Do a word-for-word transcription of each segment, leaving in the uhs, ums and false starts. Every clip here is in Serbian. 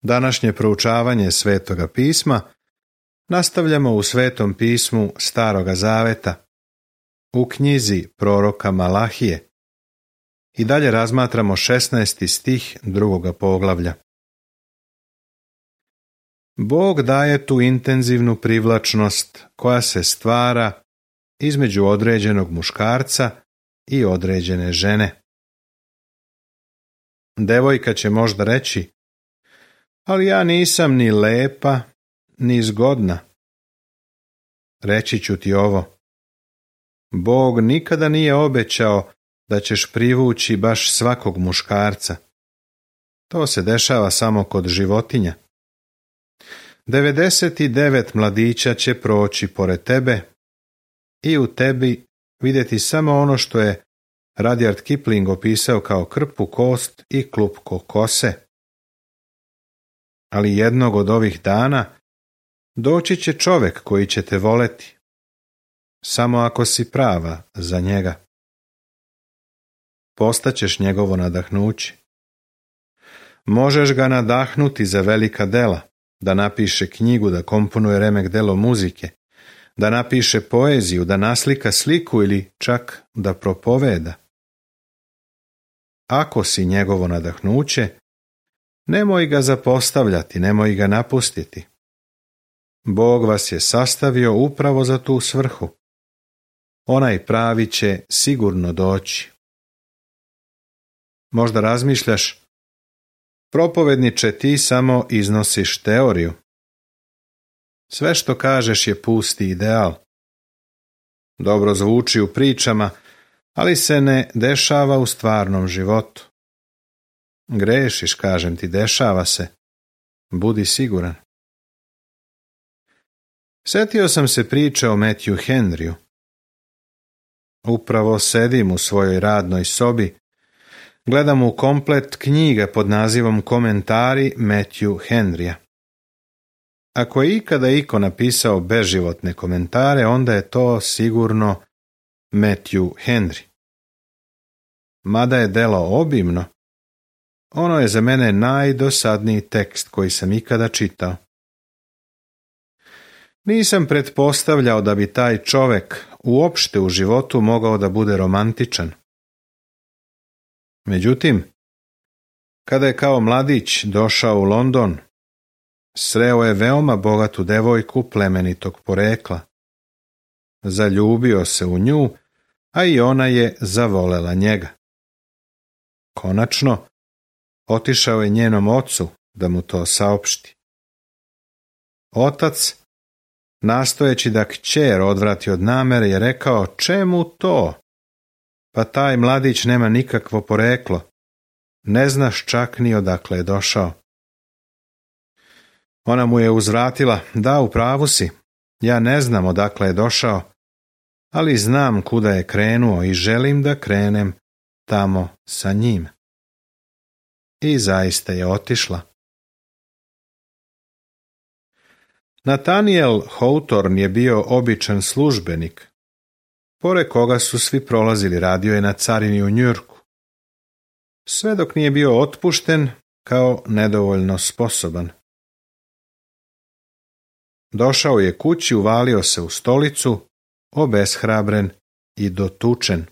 Današnje proučavanje Svetoga pisma nastavljamo u Svetom pismu Staroga zaveta, u knjizi proroka Malahije, i dalje razmatramo šesnaesti stih drugoga poglavlja. Bog daje tu intenzivnu privlačnost koja se stvara između određenog muškarca i određene žene. Devojka će možda reći: ali ja nisam ni lepa, ni zgodna. Reći ću ti ovo: Bog nikada nije obećao da ćeš privući baš svakog muškarca. To se dešava samo kod životinja. devedeset devet mladića će proći pored tebe i u tebi vidjeti samo ono što je Rudyard Kipling opisao kao krpu kost i klupko kose. Ali jednog od ovih dana doći će čovjek koji će te voleti, samo ako si prava za njega. Postaćeš njegovo nadahnuće. Možeš ga nadahnuti za velika dela, da napiše knjigu, da komponuje remek delo muzike, da napiše poeziju, da naslika sliku ili čak da propoveda. Ako si njegovo nadahnuće, nemoj ga zapostavljati, nemoj ga napustiti. Bog vas je sastavio upravo za tu svrhu. Onaj pravi će sigurno doći. Možda razmišljaš: propovedniče, ti samo iznosiš teoriju. Sve što kažeš je pusti ideal. Dobro zvuči u pričama, ali se ne dešava u stvarnom životu. Grešiš, kažem ti, dešava se. Budi siguran. Sjetio sam se priče o Matthew Henryu. Upravo sedim u svojoj radnoj sobi, gledam u komplet knjiga pod nazivom Komentari Matthew Henrya. Ako je ikada iko napisao beživotne komentare, onda je to sigurno Matthew Henry. Mada je delo obimno, ono je za mene najdosadniji tekst koji sam ikada čitao. Nisam pretpostavljao da bi taj čovjek uopšte u životu mogao da bude romantičan. Međutim, kada je kao mladić došao u London, sreo je veoma bogatu devojku plemenitog porekla. Zaljubio se u nju, a i ona je zavolela njega. Konačno, otišao je njenom ocu da mu to saopšti. Otac, nastojeći da kćer odvrati od namere, je rekao: čemu to? Pa taj mladić nema nikakvo poreklo. Ne znaš čak ni odakle je došao. Ona mu je uzvratila: da, u pravu si, ja ne znam odakle je došao, ali znam kuda je krenuo i želim da krenem tamo sa njim. I zaista je otišla. Nathaniel Hawthorne je bio običan službenik, pored koga su svi prolazili. Radio je na carini u Njujorku. Sve dok nije bio otpušten kao nedovoljno sposoban. Došao je kući, uvalio se u stolicu, obeshrabren i dotučen.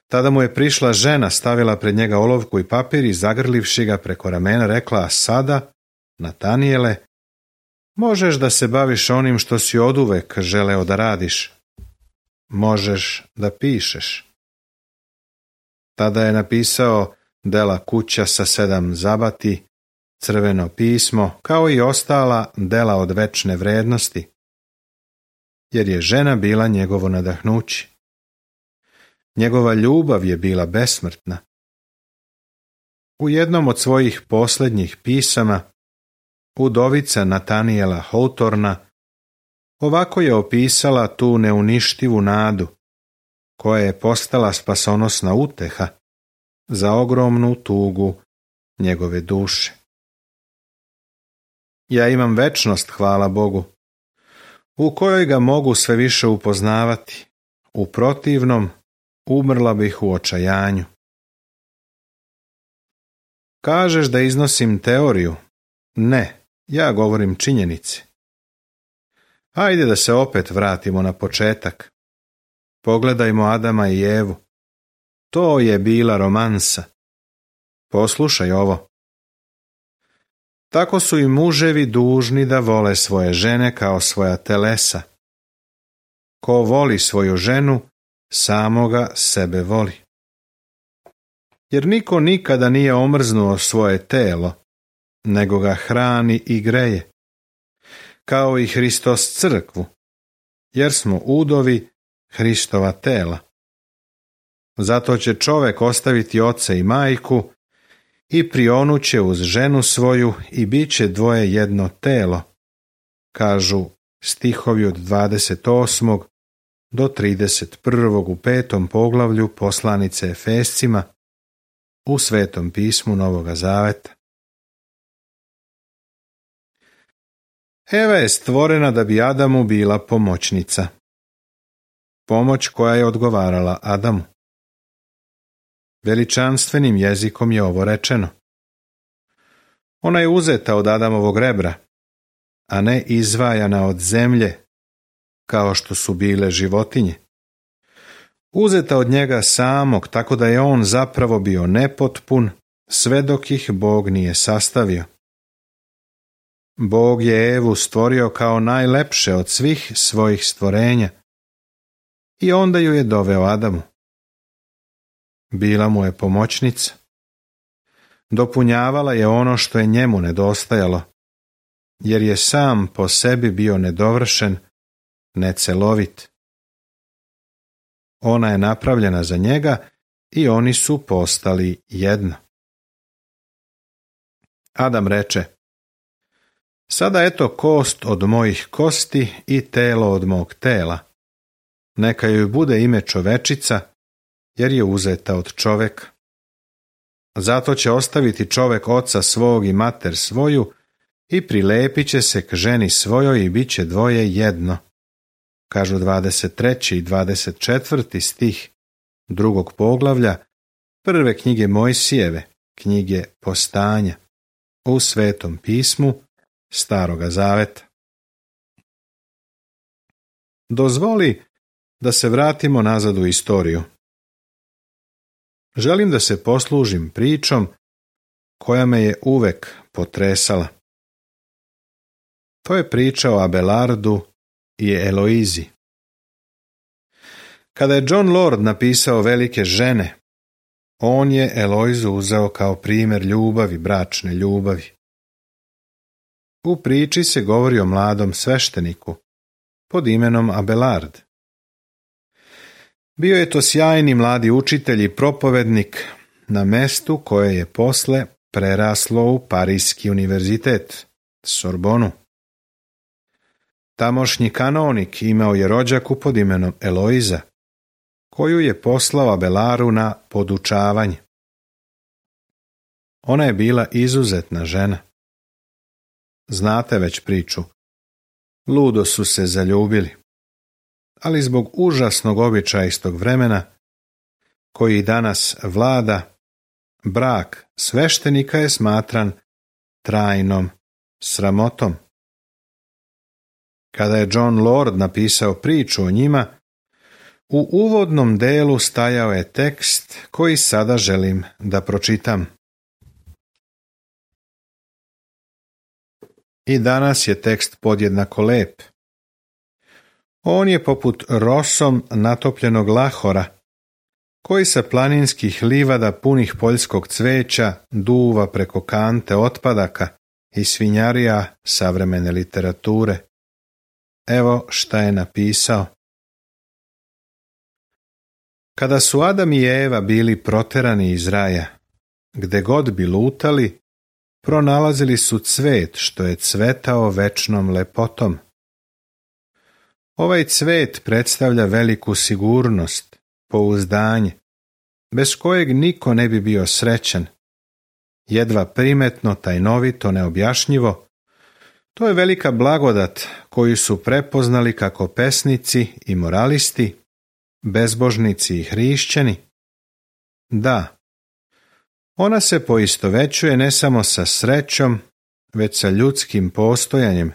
Tada mu je prišla žena, stavila pred njega olovku i papir i zagrlivši ga preko ramena rekla: a sada, Natanijele, možeš da se baviš onim što si oduvek želeo da radiš. Možeš da pišeš. Tada je napisao dela Kuća sa sedam zabati, Crveno pismo, kao i ostala dela od večne vrednosti, jer je žena bila njegovo nadahnuće. Njegova ljubav je bila besmrtna. U jednom od svojih posljednjih pisama, udovica Nathaniela Hawthorna ovako je opisala tu neuništivu nadu, koja je postala spasonosna uteha za ogromnu tugu njegove duše. Ja imam večnost, hvala Bogu, u kojoj ga mogu sve više upoznavati. U protivnom, umrla bih u očajanju. Kažeš da iznosim teoriju? Ne, ja govorim činjenice. Ajde da se opet vratimo na početak. Pogledajmo Adama i Evu. To je bila romansa. Poslušaj ovo. Tako su i muževi dužni da vole svoje žene kao svoja telesa. Ko voli svoju ženu, samoga sebe voli. Jer niko nikada nije omrznuo svoje telo, nego ga hrani i greje, kao i Hristos crkvu, jer smo udovi Hristova tela. Zato će čovek ostaviti oca i majku i prionuće uz ženu svoju i bit će dvoje jedno telo, kažu stihovi od dvadeset osmog do trideset prvog u petom poglavlju poslanice Efescima u Svetom pismu Novoga Zaveta. Eva je stvorena da bi Adamu bila pomoćnica. Pomoć koja je odgovarala Adamu. Veličanstvenim jezikom je ovo rečeno. Ona je uzeta od Adamovog rebra, a ne izvajana od zemlje, kao što su bile životinje. Uzeta od njega samog, tako da je on zapravo bio nepotpun, sve dok ih Bog nije sastavio. Bog je Evu stvorio kao najlepše od svih svojih stvorenja i onda ju je doveo Adamu. Bila mu je pomoćnica. Dopunjavala je ono što je njemu nedostajalo, jer je sam po sebi bio nedovršen, necelovit. Ona je napravljena za njega i oni su postali jedno. Adam reče: Sada eto kost od mojih kosti i telo od mog tela. Neka joj bude ime čovečica, jer je uzeta od čoveka. Zato će ostaviti čovek oca svog i mater svoju i prilepit će se k ženi svojoj i bit će dvoje jedno. Kažu dvadeset treći i dvadeset četvrti stih drugog poglavlja prve knjige Mojsijeve, knjige Postanja, u Svetom pismu Staroga Zaveta. Dozvoli da se vratimo nazad u istoriju. Želim da se poslužim pričom koja me je uvek potresala. To je priča o Abelardu i Eloizi. Kada je John Lord napisao Velike žene, on je Eloizu uzeo kao primjer ljubavi, bračne ljubavi. U priči se govori o mladom svešteniku pod imenom Abelard. Bio je to sjajni mladi učitelj i propovednik na mestu koje je posle preraslo u Parijski univerzitet, Sorbonu. Tamošnji kanonik imao je rođaku pod imenom Eloiza, koju je poslao Abelaru na podučavanje. Ona je bila izuzetna žena. Znate već priču. Ludo su se zaljubili, ali zbog užasnog običaja istog vremena, koji danas vlada, brak sveštenika je smatran trajnom sramotom. Kada je John Lord napisao priču o njima, u uvodnom delu stajao je tekst koji sada želim da pročitam. I danas je tekst podjednako lep. On je poput rosom natopljenog lahora, koji sa planinskih livada punih poljskog cveća duva preko kante otpadaka i svinjarija savremene literature. Evo šta je napisao. Kada su Adam i Eva bili proterani iz raja, gde god bi lutali, pronalazili su cvet što je cvetao večnom lepotom. Ovaj cvet predstavlja veliku sigurnost, pouzdanje, bez kojeg niko ne bi bio srećan. Jedva primetno, tajnovito, neobjašnjivo, to je velika blagodat koju su prepoznali kako pesnici i moralisti, bezbožnici i hrišćani. Da, Ona se poistovećuje ne samo sa srećom, već sa ljudskim postojanjem.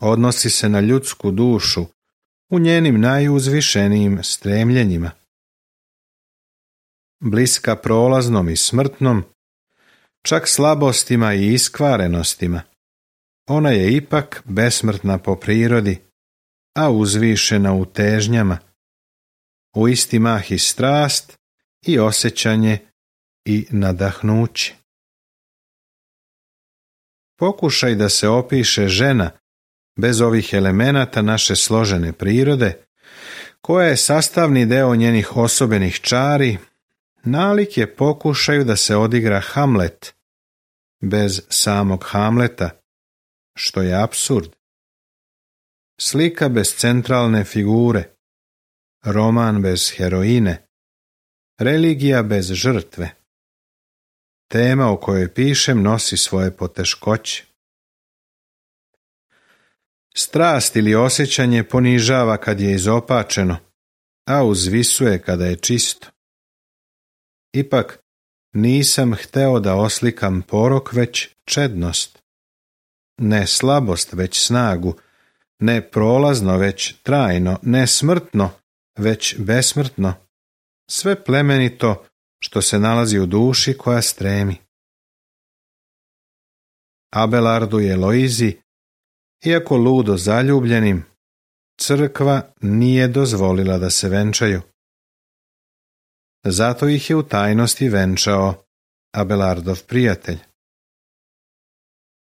Odnosi se na ljudsku dušu u njenim najuzvišenijim stremljenjima. Bliska prolaznom i smrtnom, čak slabostima i iskvarenostima, ona je ipak besmrtna po prirodi, a uzvišena u težnjama, u isti mah i strast i osjećanje i nadahnuće. Pokušaj da se opiše žena bez ovih elemenata naše složene prirode, koja je sastavni deo njenih osobenih čari, nalik je pokušaju da se odigra Hamlet bez samog Hamleta, što je apsurd. Slika bez centralne figure, roman bez heroine, religija bez žrtve. Tema o kojoj pišem nosi svoje poteškoće. Strast ili osjećanje ponižava kad je izopačeno, a uzvisuje kada je čisto. Ipak nisam hteo da oslikam porok, već čednost. Ne slabost, već snagu, ne prolazno, već trajno, ne smrtno, već besmrtno, sve plemenito što se nalazi u duši koja stremi. Abelardu i Eloizi, iako ludo zaljubljenim, crkva nije dozvolila da se venčaju. Zato ih je u tajnosti venčao Abelardov prijatelj.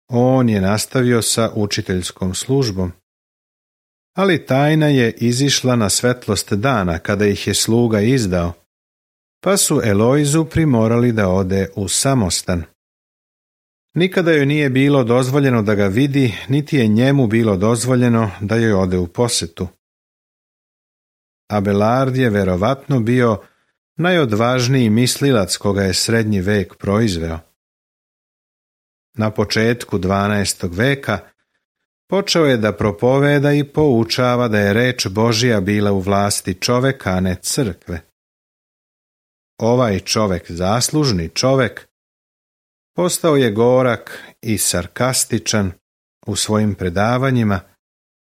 On je nastavio sa učiteljskom službom, ali tajna je izišla na svetlost dana kada ih je sluga izdao, pa su Eloizu primorali da ode u samostan. Nikada joj nije bilo dozvoljeno da ga vidi, niti je njemu bilo dozvoljeno da joj ode u posetu. Abelard je verovatno bio najodvažniji mislilac koga je srednji vek proizveo. Na početku dvanaestog veka počeo je da propoveda i poučava da je reč Božja bila u vlasti čoveka, a ne crkve. Ovaj čovek, zaslužni čovek, postao je gorak i sarkastičan u svojim predavanjima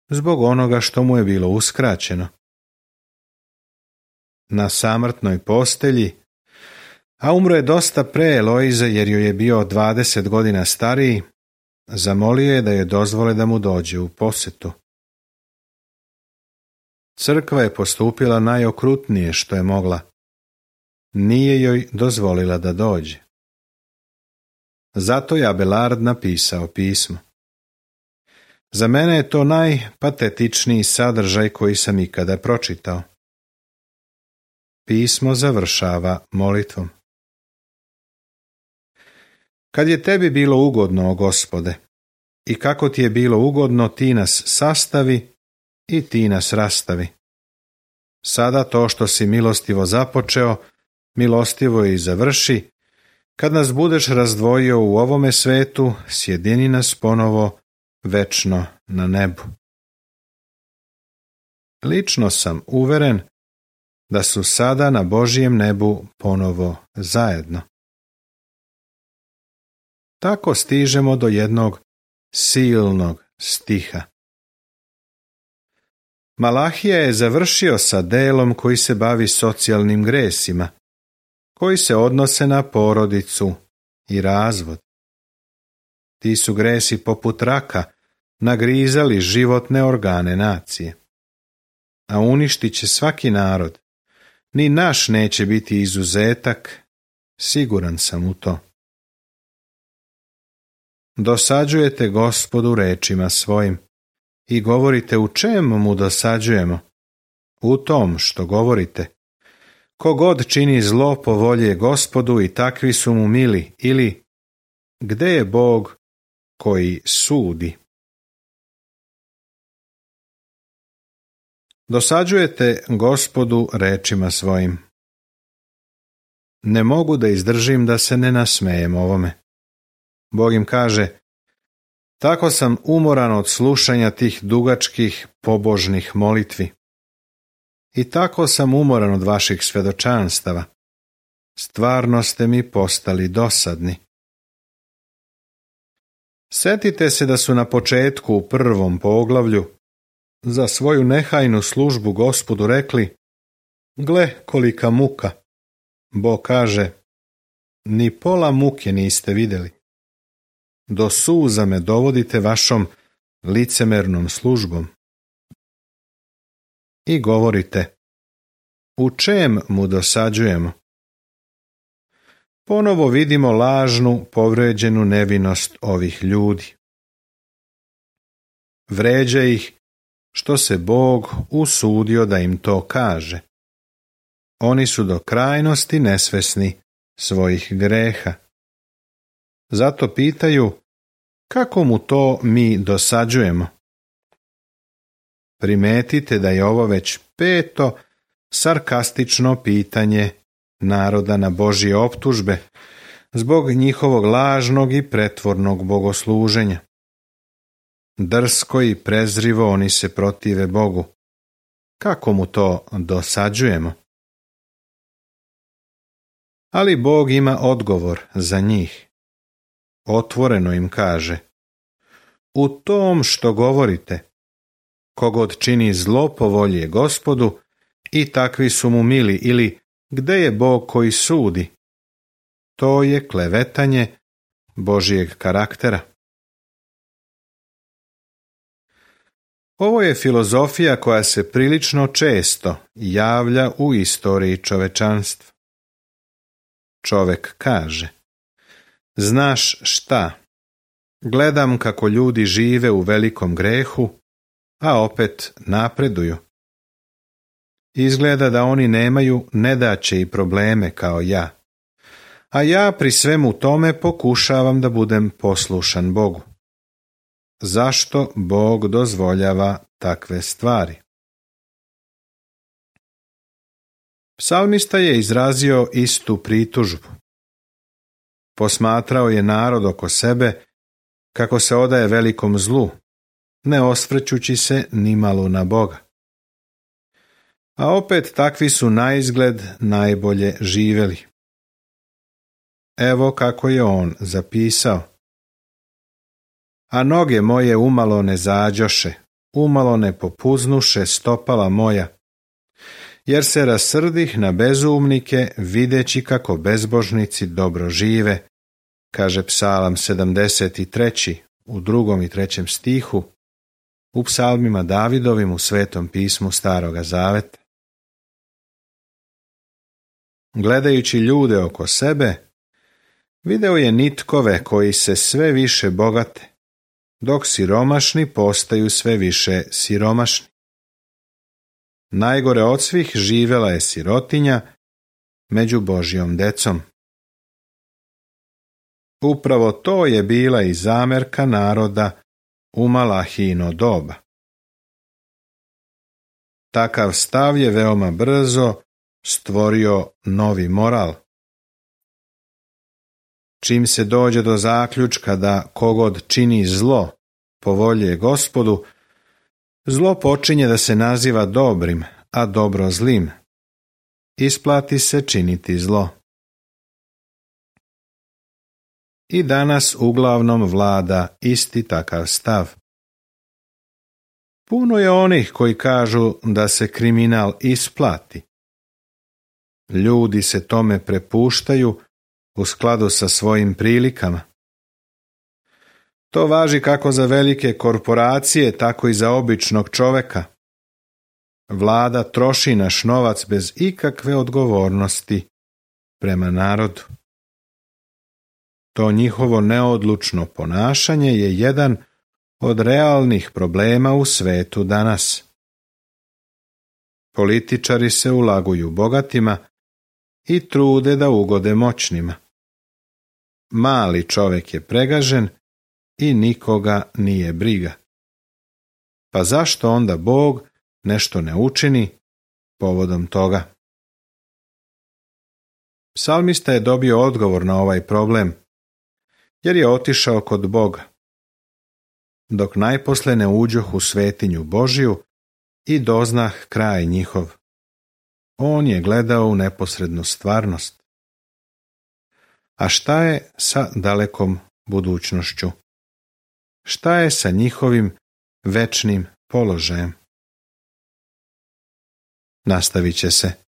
zbog onoga što mu je bilo uskraćeno. Na samrtnoj postelji, a umro je dosta pre Eloize jer joj je bio dvadeset godina stariji, zamolio je da joj dozvole da mu dođe u posetu. Crkva je postupila najokrutnije što je mogla. Nije joj dozvolila da dođe. Zato je Abelard napisao pismo. Za mene je to najpatetičniji sadržaj koji sam ikada pročitao. Pismo završava molitvom. Kad je tebi bilo ugodno, o Gospode, i kako ti je bilo ugodno, ti nas sastavi i ti nas rastavi. Sada to što si milostivo započeo, milostivo i završi. Kad nas budeš razdvojio u ovome svetu, sjedini nas ponovo večno na nebu. Lično sam uveren da su sada na Božjem nebu ponovo zajedno. Tako stižemo do jednog silnog stiha. Malahija je završio sa delom koji se bavi socijalnim gresima, koji se odnose na porodicu i razvod. Ti su gresi poput raka nagrizali životne organe nacije, a uništit će svaki narod. Ni naš neće biti izuzetak, siguran sam u to. Dosađujete Gospodu rečima svojim i govorite u čemu mu dosađujemo? U tom što govorite. Kogod čini zlo po volje Gospodu i takvi su mu mili, ili gde je Bog koji sudi? Dosađujete Gospodu rečima svojim. Ne mogu da izdržim da se ne nasmejem ovome. Bog im kaže, tako sam umoran od slušanja tih dugačkih pobožnih molitvi. I tako sam umoran od vaših svedočanstava. stvarno ste mi postali dosadni. Setite se da su na početku u prvom poglavlju za svoju nehajnu službu Gospodu rekli: gle kolika muka. Bog kaže: ni pola muke niste vidjeli. Do suza me dovodite vašom licemernom službom. I govorite: u čem mu dosađujemo? Ponovo vidimo lažnu, povređenu nevinost ovih ljudi. Vređa ih što se Bog usudio da im to kaže. Oni su do krajnosti nesvesni svojih greha. Zato pitaju: kako mu to mi dosađujemo? Primetite da je ovo već peto sarkastično pitanje naroda na Božje optužbe zbog njihovog lažnog i pretvornog bogosluženja. Drsko i prezrivo oni se protive Bogu. Kako mu to dosađujemo? Ali Bog ima odgovor za njih. Otvoreno im kaže: u tom što govorite, kogod čini zlo po volji Gospodu, i takvi su mu mili, ili gde je Bog koji sudi? To je klevetanje Božijeg karaktera. Ovo je filozofija koja se prilično često javlja u istoriji čovečanstva. Čovek kaže: znaš šta, gledam kako ljudi žive u velikom grehu, a opet napreduju. Izgleda da oni nemaju nedaće i probleme kao ja, a ja pri svemu tome pokušavam da budem poslušan Bogu. Zašto Bog dozvoljava takve stvari? Psalmista je izrazio istu pritužbu. Posmatrao je narod oko sebe kako se odaje velikom zlu, ne osvrćući se nimalo na Boga. A opet takvi su naizgled najbolje živjeli. Evo kako je on zapisao: a noge moje umalo ne zađoše, umalo ne popuznuše stopala moja, jer se rasrdih na bezumnike, videći kako bezbožnici dobro žive, kaže Psalam sedamdeset tri. u drugom i trećem stihu, u psalmima Davidovim u Svetom pismu Staroga Zaveta. Gledajući ljude oko sebe, video je nitkove koji se sve više bogate, dok siromašni postaju sve više siromašni. Najgore od svih živela je sirotinja među Božjom decom. Upravo to je bila i zamerka naroda u Malahijino doba. Takav stav je veoma brzo stvorio novi moral. Čim se dođe do zaključka da kogod čini zlo po volji je Gospodu, zlo počinje da se naziva dobrim, a dobro zlim. Isplati se činiti zlo. I danas uglavnom vlada isti takav stav. Puno je onih koji kažu da se kriminal isplati. Ljudi se tome prepuštaju u skladu sa svojim prilikama. To važi kako za velike korporacije, tako i za običnog čoveka. Vlada troši naš novac bez ikakve odgovornosti prema narodu. To njihovo neodlučno ponašanje je jedan od realnih problema u svetu danas. Političari se ulaguju bogatima i trude da ugode moćnima. Mali čovjek je pregažen i nikoga nije briga. Pa zašto onda Bog nešto ne učini povodom toga? Psalmista je dobio odgovor na ovaj problem, jer je otišao kod Boga, dok najposle ne uđoh u svetinju Božiju i doznah kraj njihov. On je gledao u neposrednu stvarnost. A šta je sa dalekom budućnošću? Šta je sa njihovim večnim položajem? Nastavit će se.